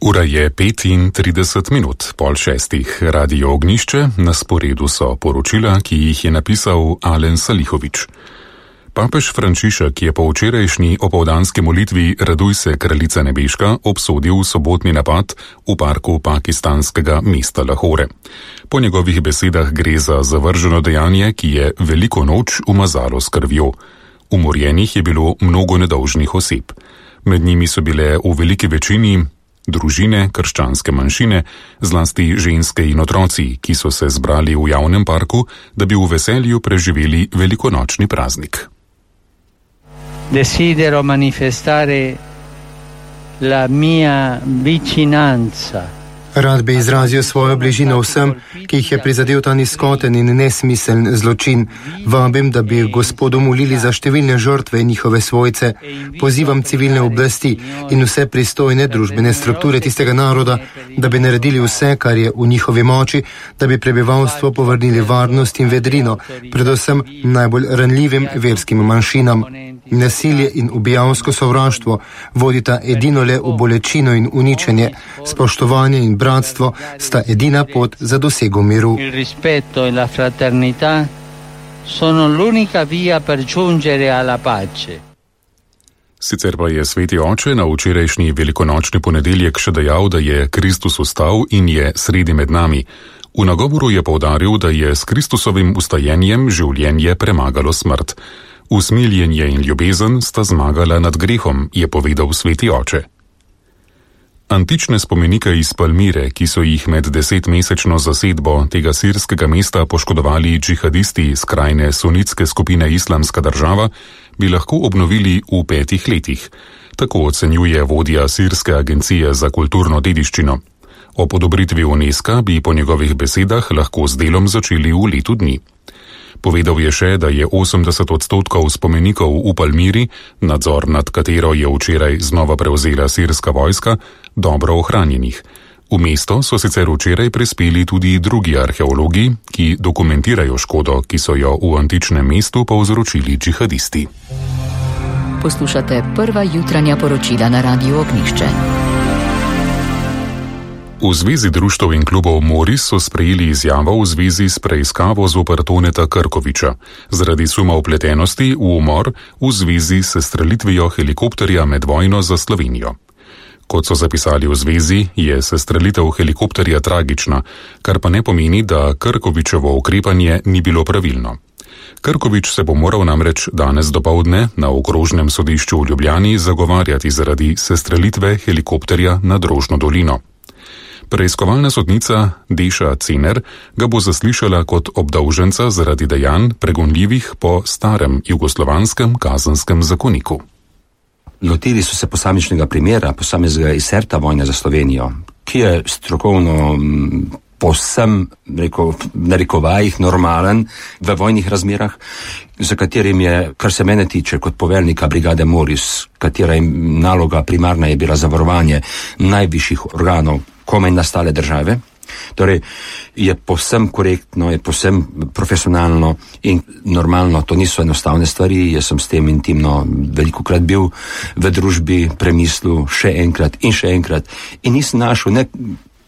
Ura je 35:05, 5:30. Radio Ognjišče, na sporedu so poročila, ki jih je napisal Alen Salihovič. Papež Frančišek je po včerajšnji opoldanski molitvi Raduj se, kraljica nebeška, obsodil sobotni napad v parku pakistanskega mesta Lahore. Po njegovih besedah gre za zavrženo dejanje, ki je veliko noč umazalo s krvjo. Umorjenih je bilo mnogo nedolžnih oseb. Med njimi so bile v veliki večini družine, krščanske manjšine, zlasti ženske in otroci, ki so se zbrali v javnem parku, da bi v veselju preživeli velikonočni praznik. Desidero manifestare la mia vicinanza. Rad bi izrazil svojo bližino vsem, ki jih je prizadel ta nizkoten in nesmiseln zločin. Vabim, da bi Gospodu molili za številne žrtve in njihove svojce. Pozivam civilne oblasti in vse pristojne družbene strukture tistega naroda, da bi naredili vse, kar je v njihovi moči, da bi prebivalstvo povrnili varnost in vedrino, predvsem najbolj ranljivim verskim manjšinam. Nasilje in ubijalsko sovraštvo vodita edino le v bolečino in uničenje. Spoštovanje in bratstvo sta edina pot za dosego miru. Il rispetto e la fraternità sono l'unica via per giungere alla pace. Sicer pa je sveti oče na včerajšnji velikonočni ponedeljek še dejal, da je Kristus vstal in je sredi med nami. V nagovoru je poudaril, da je s Kristusovim vstajenjem življenje premagalo smrt. Usmiljenje in ljubezen sta zmagala nad grehom, je povedal sveti oče. Antične spomenike iz Palmire, ki so jih med 10-mesečno zasedbo tega sirskega mesta poškodovali džihadisti skrajne sunitske skupine Islamska država, bi lahko obnovili v 5 letih. Tako ocenjuje vodja sirske agencije za kulturno dediščino. Ob odobritvi UNESCO bi po njegovih besedah lahko z delom začeli v letu dni. Povedal je še, da je 80% spomenikov v Palmiri, nadzor nad katero je včeraj znova prevzela sirska vojska, dobro ohranjenih. V mesto so sicer včeraj prispeli tudi drugi arheologi, ki dokumentirajo škodo, ki so jo v antičnem mestu povzročili džihadisti. Poslušate prva jutranja poročila na Radiu Ognjišče. V Zvezi društev in klubov Moris so sprejeli izjavo v zvezi s preiskavo zoper Toneta Krkoviča zaradi suma vpletenosti v umor v zvezi s sestrelitvijo helikopterja med vojno za Slovenijo. Kot so zapisali v zvezi, je sestrelitev helikopterja tragična, kar pa ne pomeni, da Krkovičevo ukrepanje ni bilo pravilno. Krkovič se bo moral namreč danes dopoldne na okrožnem sodišču v Ljubljani zagovarjati zaradi sestrelitve helikopterja nad Rožno dolino. Preiskovalna sodnica Deša Cener ga bo zaslišala kot obdolženca zaradi dejanj pregonljivih po starem jugoslovanskem kazenskem zakoniku. Lotili so se posamičnega primera, posameznega izserta vojne za Slovenijo, ki je strokovno povsem, narekovajih, normalen v vojnih razmerah, za katerim je, kar se mene tiče, kot poveljnika brigade Moris, katera naloga primarna je bila zavarovanje najvišjih organov komaj nastale države, torej je povsem korektno, je povsem profesionalno in normalno, to niso enostavne stvari, jaz sem s tem intimno velikokrat bil v družbi, premislil še enkrat in nisem našel ne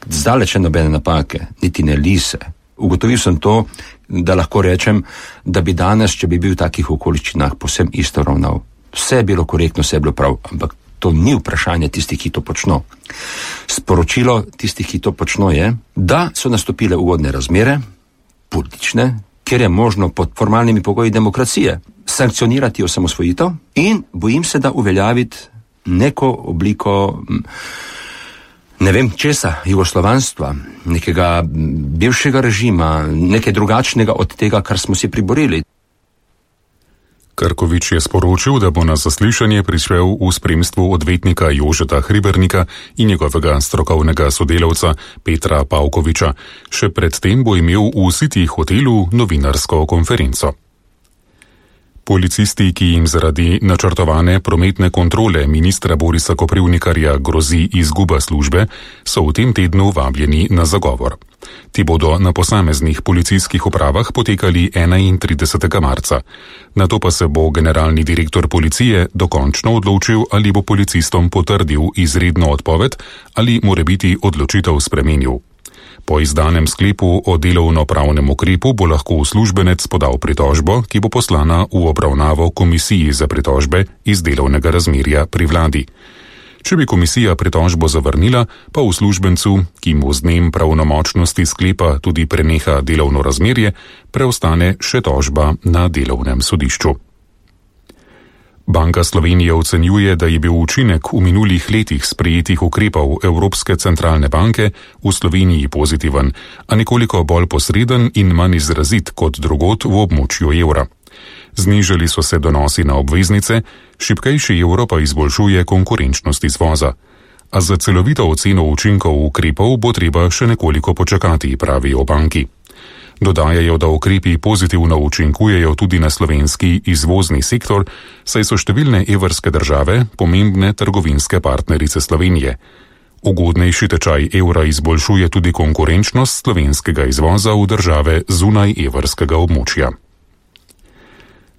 zdaleč nobene napake, niti ne lise. Ugotovil sem to, da lahko rečem, da bi danes, če bi bil v takih okoliščinah, povsem isto ravnal. Vse je bilo korektno, vse je bilo prav, ampak to ni vprašanje tistih, ki to počno. Sporočilo tistih, ki to počno, je, da so nastopile ugodne razmere, politične, kjer je možno pod formalnimi pogoji demokracije sankcionirati osamosvojitev in bojim se, da uveljaviti neko obliko, ne vem česa, jugoslovanstva, nekega bivšega režima, nekaj drugačnega od tega, kar smo si priborili. Krkovič je sporočil, da bo na zaslišanje prišel v spremstvu odvetnika Jožeta Hribernika in njegovega strokovnega sodelavca Petra Pavkoviča. Še predtem bo imel v City hotelu novinarsko konferenco. Policisti, ki jim zaradi načrtovane prometne kontrole ministra Borisa Koprivnikarja grozi izguba službe, so v tem tednu vabljeni na zagovor. Ti bodo na posameznih policijskih upravah potekali 31. marca. Nato pa se bo generalni direktor policije dokončno odločil, ali bo policistom potrdil izredno odpoved ali morebiti odločitev spremenil. Po izdanem sklepu o delovno-pravnem ukrepu bo lahko uslužbenec podal pritožbo, ki bo poslana v obravnavo komisiji za pritožbe iz delovnega razmerja pri vladi. Če bi komisija pritožbo zavrnila, pa uslužbencu, ki mu z dnem pravnomočnosti sklepa tudi preneha delovno razmerje, preostane še tožba na delovnem sodišču. Banka Slovenije ocenjuje, da je bil učinek v minulih letih sprejetih ukrepov Evropske centralne banke v Sloveniji pozitiven, a nekoliko bolj posreden in manj izrazit kot drugod v območju evra. Znižali so se donosi na obveznice, šibkejši evro pa izboljšuje konkurenčnost izvoza. A za celovito oceno učinkov ukrepov bo treba še nekoliko počakati, pravijo banki. Dodajajo, da ukrepi pozitivno učinkujejo tudi na slovenski izvozni sektor, saj so številne evrske države pomembne trgovinske partnerice Slovenije. Ugodnejši tečaj evra izboljšuje tudi konkurenčnost slovenskega izvoza v države zunaj evrskega območja.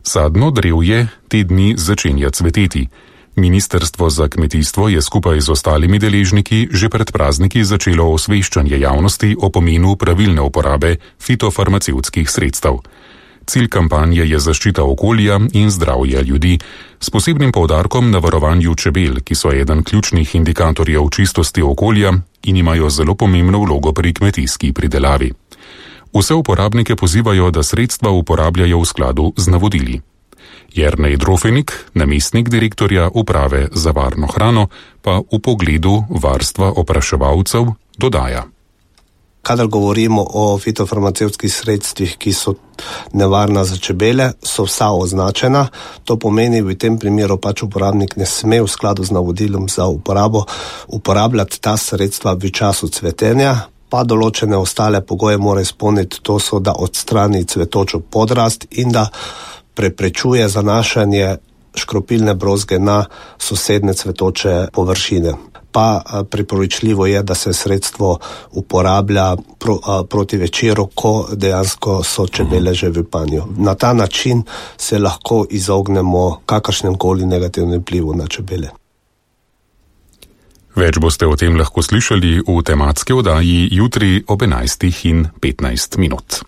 Sadno drevje te dni začenja cveteti. Ministrstvo za kmetijstvo je skupaj z ostalimi deležniki že pred prazniki začelo osveščanje javnosti o pomenu pravilne uporabe fitofarmacevtskih sredstev. Cilj kampanje je zaščita okolja in zdravja ljudi, s posebnim poudarkom na varovanju čebel, ki so eden ključnih indikatorjev čistosti okolja in imajo zelo pomembno vlogo pri kmetijski pridelavi. Vse uporabnike pozivajo, da sredstva uporabljajo v skladu z navodili. Jernej Drofenik, namestnik direktorja uprave za varno hrano, pa v pogledu varstva opraševalcev dodaja. Kadar govorimo o fitofarmacevtskih sredstvih, ki so nevarna za čebele, so vsa označena. To pomeni, v tem primeru uporabnik ne sme v skladu z navodilom za uporabo uporabljati ta sredstva v času cvetenja, pa določene ostale pogoje mora izpolniti, to so, da odstrani cvetočo podrast in da preprečuje zanašanje škropilne brozge na sosedne cvetoče površine. Pa priporočljivo je, da se sredstvo uporablja proti večeru, ko dejansko so čebele že v panju. Na ta način se lahko izognemo kakršnem koli negativnem vplivu na čebele. Več boste o tem lahko slišali v tematski oddaji jutri ob 11:15.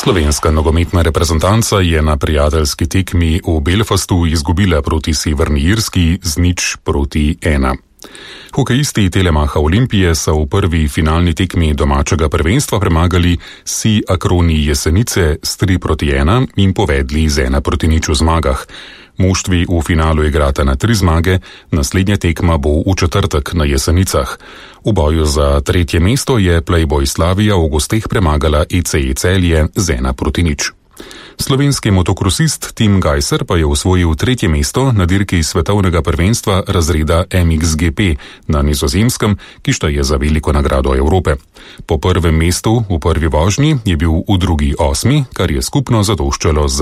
Slovenska nogometna reprezentanca je na prijateljski tekmi v Belfastu izgubila proti Severni Irski z 0:1. Hokejisti Telemacha Olimpije so v prvi finalni tekmi domačega prvenstva premagali SÍ Akroni Jesenice s 3:1 in povedli z 1:0 v zmagah. Moštvi v finalu igrata na 3 zmage, naslednja tekma bo v četrtek na Jesenicah. V boju za 3. mesto je Playboy Slavija v gosteh premagala ECE Celje z 1:0. Slovenski motokrosist Tim Gajser pa je osvojil 3. mesto na dirki svetovnega prvenstva razreda MXGP na Nizozemskem, ki šteje za veliko nagrado Evrope. Po prvem mestu v prvi vožnji je bil v drugi 8., kar je skupno zadoščalo za